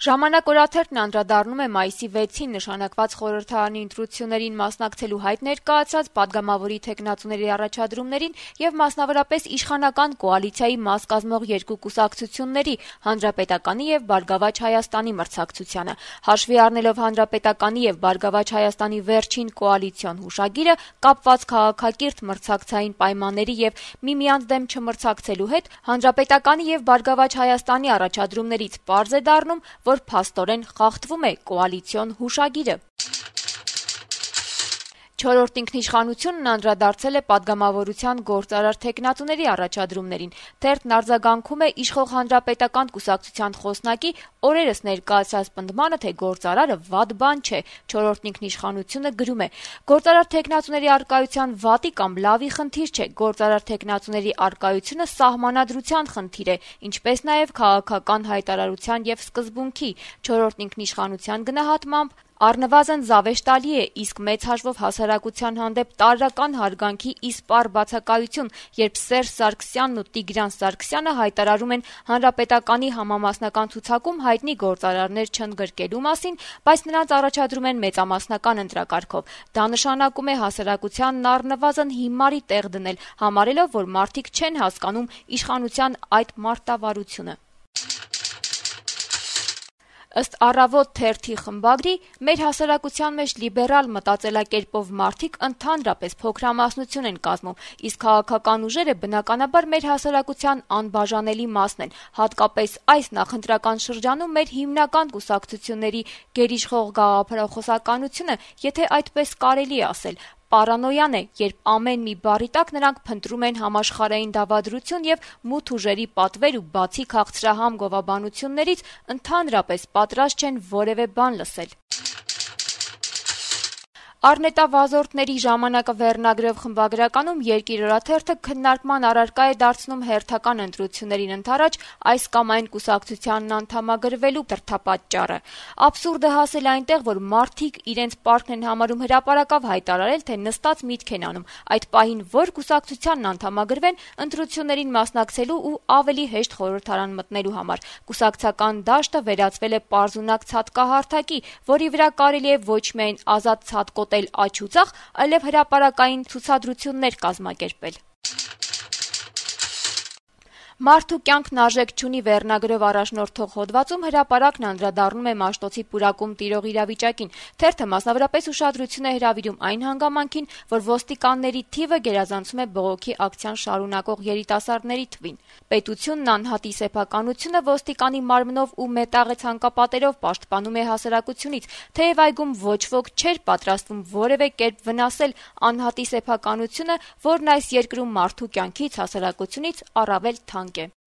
Ժամանակ-օրաթերթն անդրադառնում է մայիսի 6-ին նշանակված խորհրդարանի ընտրություններին մասնակցելու հայտ ներկայացրած падգամավորի թեկնածուների առաջադրումներին եւ մասնավորապես իշխանական կոալիցիայի մաս կազմող երկու կուսակցությունների՝ Հանրապետականի եւ Բարգավաճ Հայաստանի մրցակցությանը։ Հաշվի առնելով Հանրապետականի եւ Բարգավաճ Հայաստանի վերջին կոալիցիոն հուշագիրը կապված քաղաքակիրթ մրցակցային պայմանների եւ միմյանց դեմ չմրցակցելու հետ, Հանրապետականի եւ Բարգավաճ Հայաստանի առաջադրումներից պարզ է դառնում, որ փաստորեն խախտվում է կոալիցիոն հուշագիրը։ Չորրորդ ինքնիշխանությունն անդրադարձել է падգամավորության գործարար թեկնածուների առաջադրումներին։ Թերթն արձագանքում է իշխող Հանրապետական կուսակցության խոսնակի օրերս ներկայացրած պնդմանը, թե գործարարը վատ բան չէ։ Չորրորդ ինքնիշխանությունը գրում է. «Գործարար թեկնածուների առկայության վատի կամ լավի խնդիր չէ, գործարար թեկնածուների առկայությունը սահմանադրության խնդիր է, ինչպես նաև քաղաքական հայտարարության եւ սկզբունքի»։ Չորրորդ ինքնիշխանության գնահատմամբ առնվազն զավեշտալի է, իսկ մեծ հաշվով հասարակության հանդեպ տարրական հարգանքի իսպառ բացակայություն, երբ Սերժ Սարգսյանն ու Տիգրան Սարգսյանը հայտարարում են Հանրապետականի համամասնական ցուցակում հայտնի գործարարներ չընդգրկելու մասին, բայց նրանց առաջադրում են մեծամասնական ընտրակարգով։ Դա նշանակում է հասարակությանն առնվազն հիմարի տեղ դնել, համարելով, որ մարդիկ չեն հասկանում իշխանության այդ մարտավարությունը»։ Ըստ «Առավոտ» թերթի խմբագրի, մեր հասարակության մեջ լիբերալ մտածելակերպով մարդիկ ընդհանրապես փոքրամասնություն են կազմում, իսկ քաղաքական ուժերը բնականաբար մեր հասարակության անբաժանելի մասն են, հատկապես այս նախընտրական շրջանում մեր հիմնական կուսակցությունների գերիշխող գաղափարախոսականությունը, եթե այդպես կարելի է ասել, պարանոյան է, երբ ամեն մի բառի տակ նրանք փնտրում են համաշխարհային դավադրություն եւ մութ ուժերի պատվեր ու բացի քաղցրահամ գովաբանություններից ընդհանրապես պատրաստ չեն որևէ բան լսել։ Առնետավազորդների ժամանակը վերնագրով խմբագրականում Երկիր օրաթերթը քննարկման առարկա է դարձնում հերթական ընտրություններին ընդառաջ այս կամ այն կուսակցությանն անդամագրվելու դրդապատճառը։ Աբսուրդը հասել այնտեղ, որ մարդիկ իրենց պարտքն են համարում հրապարակավ հայտարարել, թե նստած միտք են անում այդ պահին որ կուսակցությանն անդամագրվեն ընտրություններին մասնակցելու ու ավելի հեշտ խորհրդարան մտնելու համար։ Կուսակցական դաշտը վերածվել է պարզունակ ցատկահարթակի, որի վրա կարելի է ոչ միայն ազատ ցատկոտել աջ ու ձախ, այլև հրապարակային ցուցադրություններ կազմակերպել։ «Մարդու կյանքն արժեք չունի» վերնագրով առաջնորդող հոդվածում հրապարակն անդրադառնում է Մաշտոցի պուրակում տիրող իրավիճակին։ Թերթը մասնավորապես ուշադրություն է հրավիրում այն հանգամանքին, որ ոստիկանների թիվը գերազանցում է բողոքի ակցիան շարունակող երիտասարդների թվին։ Պետությունն անհատի սեփականությունը ոստիկանի մարմնով ու մետաղե ցանկապատերով պաշտպանում է հասարակությունից, թեև այգում ոչ ոք չէր պատրաստվում որևէ կերպ վնասել անհատի սեփականությունը, որն այս երկրում մարդու կյանքից, հասարակությունից առավել թանկ է։